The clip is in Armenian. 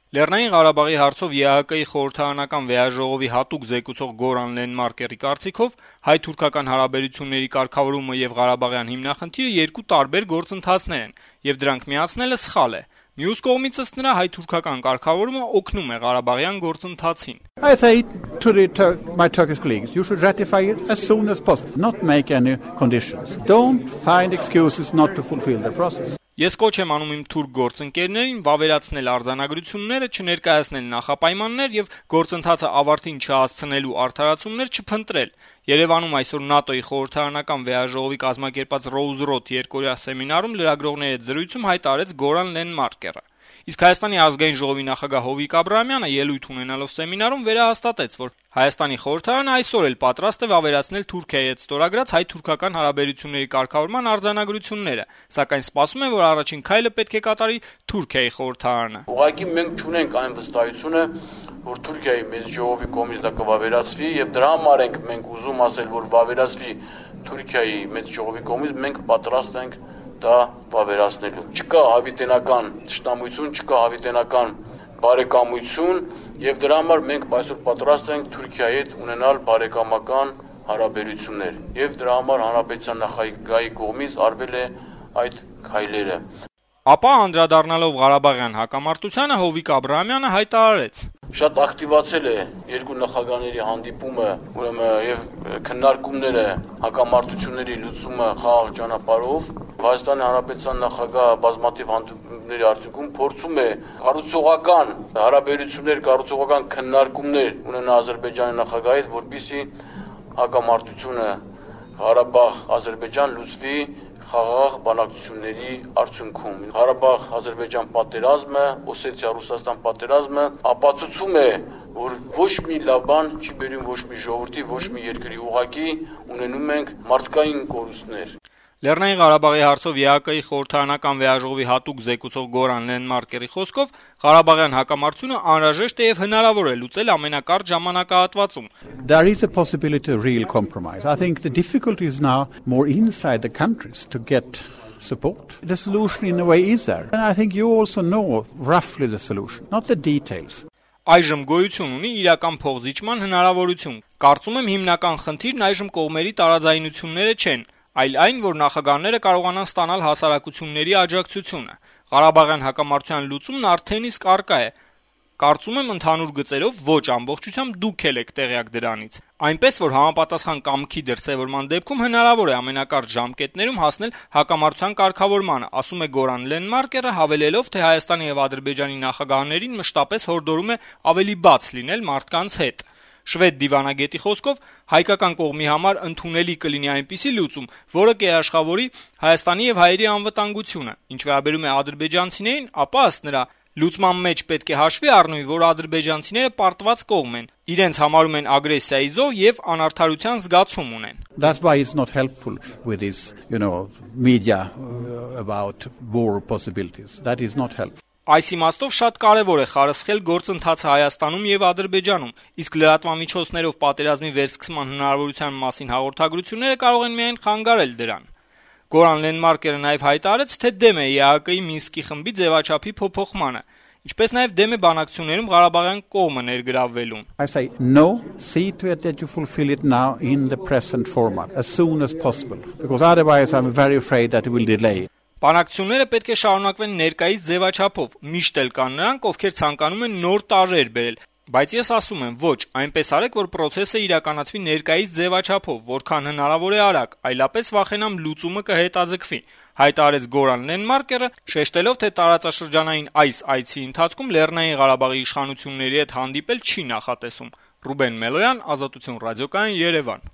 Լեռնային Ղարաբաղի հարցով ԵԱՀԿ-ի խորհրդարանական վեաժողովի հատուկ զեկուցող Գորան Լենմարկերի կարծիքով հայ-թուրքական հարաբերությունների կարգավորումը եւ Ղարաբաղյան հիմնախնդիրը երկու տարբեր գործընթացներ են, եւ դրանք միացնելը սխալ է։ Մյուս կողմից ըստ նրա հայ-թուրքական կարգավորումը օգնում է Ղարաբաղյան գործընթացին։ I say to my Turkish colleagues, you should ratify it as soon as possible, not make any conditions. Don't find excuses not to fulfill the process. Ես կոչ եմ անում իմ թուրք գործընկերներին վավերացնել արձանագրությունները, չներկայացնել նախապայմաններ եւ գործընթացը ավարտին չհասցնելու արդարացումներ չփնտրել։ Երևանում այսօր ՆԱՏՕ-ի խորհրդարանական վեաժողովի կազմակերպած Rose Road երկօրյա սեմինարում լրագրողների հետ զրույցում հայտարարեց Գորան Լենմարկերը։ Իսկ Հայաստանի ազգային ժողովի նախագահ Հովիկ Աբրահամյանը ելույթ ունենալով սեմինարում վերահաստատեց, որ Հայաստանի խորհրդարանը այսօր էլ պատրաստ է վավերացնել Թուրքիայի հետ ստորագրած հայ-թուրքական հարաբերությունների կարգավորման արձանագրությունները, սակայն սպասում են, որ առաջին քայլը պետք է կատարի Թուրքիայի խորհրդարանը։ Ուղղակի մենք չունենք այն վստահությունը, որ Թուրքիայի մեծ ժողովի կողմից դա կվավերացվի, եւ դրա համար ենք մենք ուզում ասել, որ վավերացվի Թուրքիայի մեծ ժողովի կողմից, մենք պատրաստ ենք դա վավերացնելու։ Չկա հավիտենական ճշտամություն, չկա հավիտենական բարեկամություն, եւ դրա համար մենք այսօր պատրաստ ենք Թուրքիայի հետ ունենալ բարեկամական հարաբերություններ, եւ դրա համար հանրապետության նախագահի կողմից արվել է այդ քայլերը։ Ապա անդրադառնալով Ղարաբաղյան հակամարտությանը Հովիկ Աբրահամյանը հայտարարեց. Շատ ակտիվացել է երկու նախագահների հանդիպումը, ուրեմն եւ քննարկումները հակամարտությունների լուծումը խաղաղ ճանապարհով։ Հայաստանի Հանրապետության նախագահը բազմաթիվ հանդիպումների արդյունքում փորձում է կառուցողական հարաբերություններ, կառուցողական քննարկումներ ունենա Ադրբեջանի նախագահի հետ, որպեսզի հակամարտությունը Ղարաբաղ-Ադրբեջան լուծվի խաղաղ բանակցությունների արդյունքում։ Ղարաբաղ-Ադրբեջան պատերազմը, Օսեթիա-Ռուսաստան պատերազմը ապացուցում է, որ ոչ մի լավ բան չի բերում ոչ մի ժողովրդի, ոչ մի երկրի, ուղղակի ունենում ենք մարդկային կորուստներ։ Լեռնային Ղարաբաղի հարցով ԵԱՀԿ-ի խորհրդարանական վեաժողովի հատուկ զեկուցող Գորան Լենմարկերի խոսքով Ղարաբաղյան հակամարտությունը անհրաժեշտ է եւ հնարավոր է լուծել ամենակարճ ժամանակահատվածում։ There is a possibility of real compromise. I think the difficulty is now more inside the countries to get support. The solution in a way is there. And I think you also know roughly the solution, not the details. Այժմ գոյություն ունի իրական փոխզիջման հնարավորություն։ Կարծում եմ հիմնական խնդիրն այժմ կողմերի տարաձայնությունները չեն, այլ այն, որ նախագահները կարողանան ստանալ հասարակությունների աջակցությունը։ Ղարաբաղյան հակամարտության լուծումն արդեն իսկ առկա է։ Կարծում եմ ընդհանուր գծերով ոչ ամբողջությամբ դուք եք տեղյակ դրանից։ Այնպես որ համապատասխան կամքի դրսևորման դեպքում հնարավոր է ամենակարճ ժամկետներում հասնել հակամարտության կարգավորմանը, ասում է Գորան Լենմարկերը, հավելելով, թե Հայաստանի եւ Ադրբեջանի նախագահաներին մշտապես հորդորում է ավելի բաց լինել մարդկանց հետ։ Շվեդ դիվանագետի խոսքով հայկական կողմի համար ընդունելի կլինի այնպիսի լուծում, որը կերաշխավորի Հայաստանի եւ հայերի անվտանգությունը։ Ինչ վերաբերում է ադրբեջանցիներին, ապա ըստ նրա լուծման մեջ պետք է հաշվի առնվի, որ ադրբեջանցիները պարտված կողմ են, իրենց համարում են ագրեսիայի զոհ եւ անարդարության զգացում ունեն։ That's why it's not helpful with this, media about war possibilities. That is not helpful. Այս իմաստով շատ կարևոր է խարսխել գործընթացը Հայաստանում եւ Ադրբեջանում, իսկ լրատվամիջոցներով պատերազմի վերսկսման հնարավորության մասին հաղորդագրությունները կարող են միայն խանգարել դրան։ Գորան Լենմարկերը նաեւ հայտարարեց, թե դեմ է ԵԱՀԿ-ի Մինսկի խմբի ձևաչափի փոփոխմանը, ինչպես նաեւ դեմ է բանակցություններում Ղարաբաղյան կողմը ներգրավվելուն։ I say no, see to it that you fulfill it now in the present format as soon as possible, because otherwise I'm very afraid that it will delay. Բանակցությունները պետք է շարունակվեն ներկայիս ձևաչափով, միշտ էլ կան նրանք, ովքեր ցանկանում են նոր տարրեր բերել, բայց ես ասում եմ, ոչ, այնպես արեք, որ process-ը իրականացվի ներկայիս ձևաչափով, որքան հնարավոր է արագ, այլապես վախենամ լուծումը կհետաձգվի, հայտարարեց Գորան Լենմարկերը, շեշտելով, թե տարածաշրջանային այս այցի ընթացքում Լեռնային Ղարաբաղի իշխանությունների հետ հանդիպել չի նախատեսում։ Ռուբեն Մելոյան, Ազատություն ռադիոկայան, Երևան։